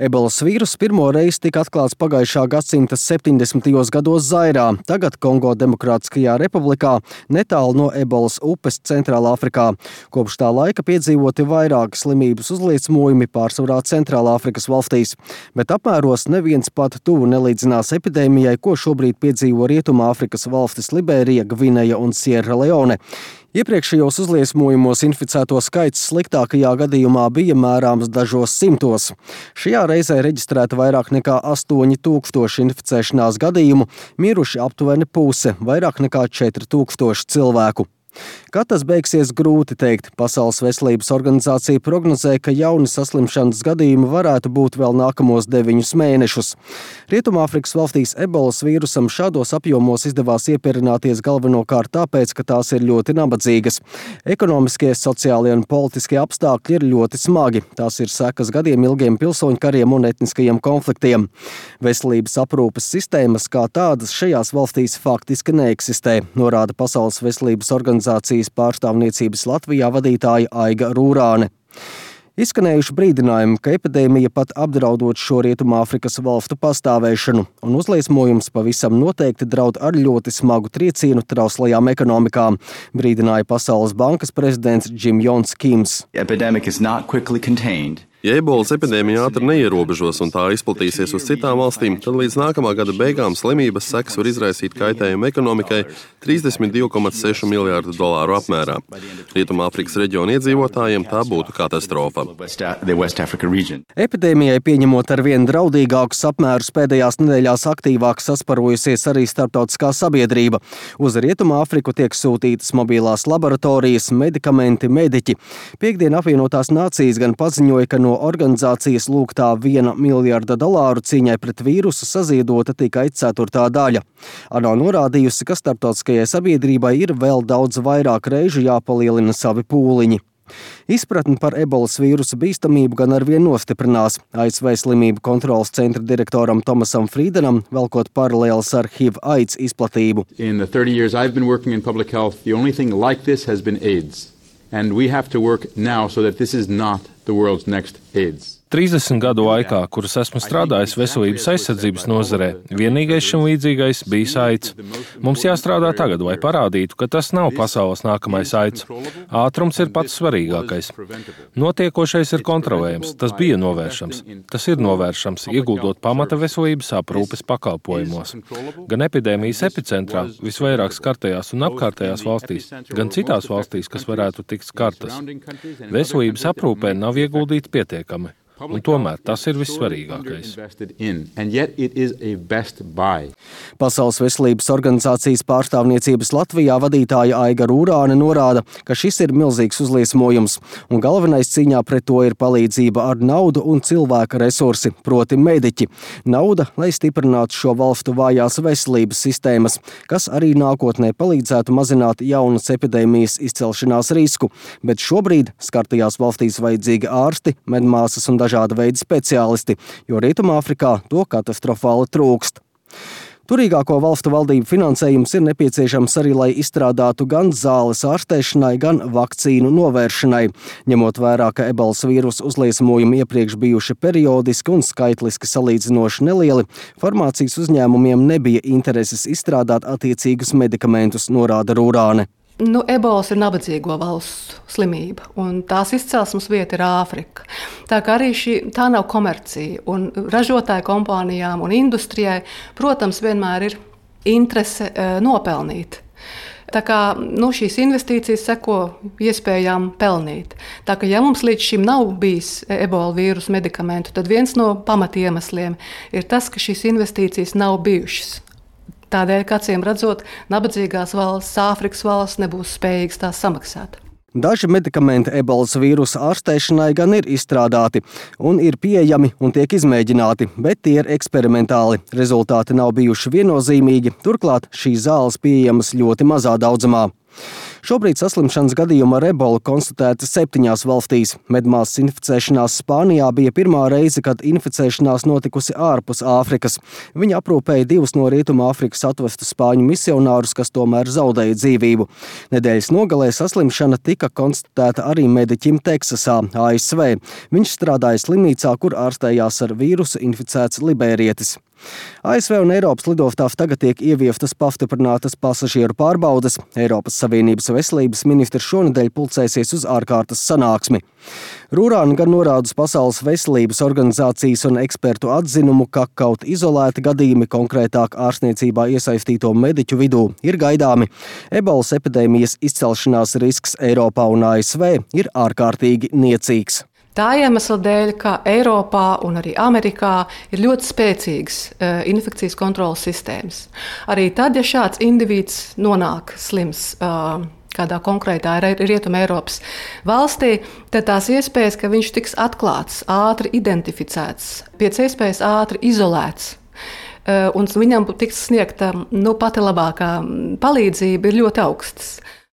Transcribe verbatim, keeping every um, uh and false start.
Ebolas vīruss pirmo reizi tika atklāts pagājušā gadsimta septiņdesmitajos gados Zairā, tagad Kongo Demokrātiskajā republikā, netālu no Ebolas upes Centrālā Afrikā. Kopš tā laika piedzīvoti vairāki slimības uzliesmojumi pārsvarā Centrālā Afrikas valstīs, bet apmēros neviens pat tuvu nelīdzinās epidēmijai, ko šobrīd piedzīvo Rietumā Afrikas valstis Liberija, Gvineja un Sierra Leone. Iepriekšējos uzliesmojumos inficēto skaits sliktākajā gadījumā bija mērāms dažos simtos. Šajā reizē reģistrēta vairāk nekā astoņi tūkstoši inficēšanās gadījumu, miruši aptuveni puse, vairāk nekā četri tūkstoši cilvēku. Kad tas beigsies, grūti teikt. Pasaules veselības organizācija prognozē, ka jauni saslimšanas gadījumi varētu būt vēl nākamos deviņus mēnešus. Rietumāfrikas valstīs ebolas vīrusam šādos apjomos izdevās iepierināties galvenokārt tāpēc, ka tās ir ļoti nabadzīgas. Ekonomiskie, sociālie un politiskie apstākļi ir ļoti smagi. Tās ir sekas gadiem ilgiem pilsoņu kariem un etniskajiem konfliktiem. Veselības aprūpes sistēmas kā tādas šajās valstīs faktiski neeksistē, norāda Pasaules veselības organizācija pārstāvniecības Latvijā vadītāja Aiga Rūrāne. Izskanējuši brīdinājumi, ka epidēmija pat apdraudot šo Rietumāfrikas valstu pastāvēšanu, un uzliesmojums pavisam noteikti draud ar ļoti smagu triecienu trauslajām ekonomikām, brīdināja Pasaules bankas prezidents Jim Jons Kims. Ja ebolas epidēmija ātri neierobežos un tā izplatīsies uz citām valstīm, tad līdz nākamā gada beigām slimības sekas var izraisīt kaitējumu ekonomikai trīsdesmit divi komats seši miljārdu dolāru apmērā. Rietumāfrikas reģiona iedzīvotājiem tā būtu katastrofa. Epidēmijai pieņemot ar vien draudīgākus apmērus pēdējās nedēļās aktīvāk sasparojusies arī starptautiskā sabiedrība. Uz Rietumāfriku tiek sūtītas mobilās laboratorijas, medikamenti, mediķi. Piektdien apvienotās nācijas gan paziņoja, ka no organizācijas lūgtā viena miljarda dolāru cīņai pret vīrusu saziedota tikai ceturtā daļa. ANO norādījusi, ka starptautiskajai sabiedrībai ir vēl daudz vairāk reižu jāpalielina savi pūliņi. Izpratni par ebolas vīrusa bīstamību gan arvien nostiprinās. A S V slimību kontrolas centra direktoram Tomasam Frīdenam, velkot paralēles ar H I V AIDS izplatību. In the thirty years I've been working in public health, the only thing like this has been AIDS. And we have to work now so that this is not the world's next AIDS. trīsdesmit gadu laikā, kuras esmu strādājis veselības aizsardzības nozarē, vienīgais šim līdzīgais bija AIDS. Mums jāstrādā tagad, lai parādītu, ka tas nav pasaules nākamais AIDS. Ātrums ir pats svarīgākais. Notiekošais ir kontrolējams, tas bija novēršams. Tas ir novēršams, ieguldot pamata veselības aprūpes pakalpojumos. Gan epidēmijas epicentrā, visvairāk skartajās un apkārtējās valstīs, gan citās valstīs, kas varētu tikt skartas. Veselības aprūpē nav ieguldīti pietiekami. Un tomēr tas ir vissvarīgākais. Pasaules veselības organizācijas pārstāvniecības Latvijā vadītāja Aiga Rūrāne norāda, ka šis ir milzīgs uzliesmojums, un galvenais cīņā pret to ir palīdzība ar naudu un cilvēka resursi, proti mediķi. Nauda, lai stiprinātu šo valstu vājās veselības sistēmas, kas arī nākotnē palīdzētu mazināt jaunas epidēmijas izcelšanās risku, bet šobrīd skartajās valstīs vajadzīgi ārsti, medmāsas un dažāda veida speciālisti, jo Rietumāfrikā to katastrofāli trūkst. Turīgāko valstu valdību finansējums ir nepieciešams arī, lai izstrādātu gan zāles ārstēšanai, gan vakcīnu novēršanai. Ņemot vērā, ka ebolas vīrusa uzliesmojumi iepriekš bijuši periodiski un skaitliski salīdzinoši nelieli, farmācijas uzņēmumiem nebija intereses izstrādāt attiecīgus medikamentus, norāda Rūrāne. Nu, ebolas ir nabadzīgo valstu slimība, un tās izcelsmes vieta ir Āfrika. Tā kā arī šī, tā nav komercija, un ražotāju kompānijām un industrijai, protams, vienmēr ir interese e, nopelnīt. Tā kā nu, šīs investīcijas seko iespējām pelnīt. Tā kā ja mums līdz šim nav bijis ebola vīrusu medikamentu, tad viens no pamatiemesliem ir tas, ka šīs investīcijas nav bijušas. Tādēļ, ka acīm redzot, nabadzīgās valsts, Āfrikas valsts nebūs spējīgas tās samaksāt. Daži medikamenti ebolas vīrusa ārstēšanai gan ir izstrādāti un ir pieejami un tiek izmēģināti, bet tie ir eksperimentāli. Rezultāti nav bijuši viennozīmīgi, turklāt šīs zāles pieejamas ļoti mazā daudzumā. Šobrīd saslimšanas gadījuma ar ebolu konstatēta septiņās valstīs. Medmāsas inficēšanās Spānijā bija pirmā reize, kad inficēšanās notikusi ārpus Āfrikas. Viņa aprūpēja divus no Rietuma Āfrikas atvestus spāņu misionārus, kas tomēr zaudēja dzīvību. Nedēļas nogalē saslimšana tika konstatēta arī mediķim Teksasā, A S V. Viņš strādāja slimnīcā, kur ārstējās ar vīrusu inficēts libērietis. A S V un Eiropas lidostās tagad tiek ieviestas pastiprinātas pasažieru pārbaudes. Eiropas Savienības veselības ministrs šonedēļ pulcēsies uz ārkārtas sanāksmi. Rūrāna gan norāda uz Pasaules veselības organizācijas un ekspertu atzinumu, ka kaut izolēti gadījumi konkrētāk ārstniecībā iesaistīto mediķu vidū ir gaidāmi. Ebolas epidēmijas izcelšanās risks Eiropā un A S V ir ārkārtīgi niecīgs. Tā iemesla dēļ, ka Eiropā un arī Amerikā ir ļoti spēcīgas uh, infekcijas kontrolas sistēmas. Arī tad, ja šāds indivīds nonāk slims uh, kādā konkrētā Rietuma Eiropas valstī, tad tās iespējas, ka viņš tiks atklāts, ātri identificēts, pēc iespējas ātri izolēts, uh, un viņam tiks sniegta nu, pati labākā palīdzība, ir ļoti augstas.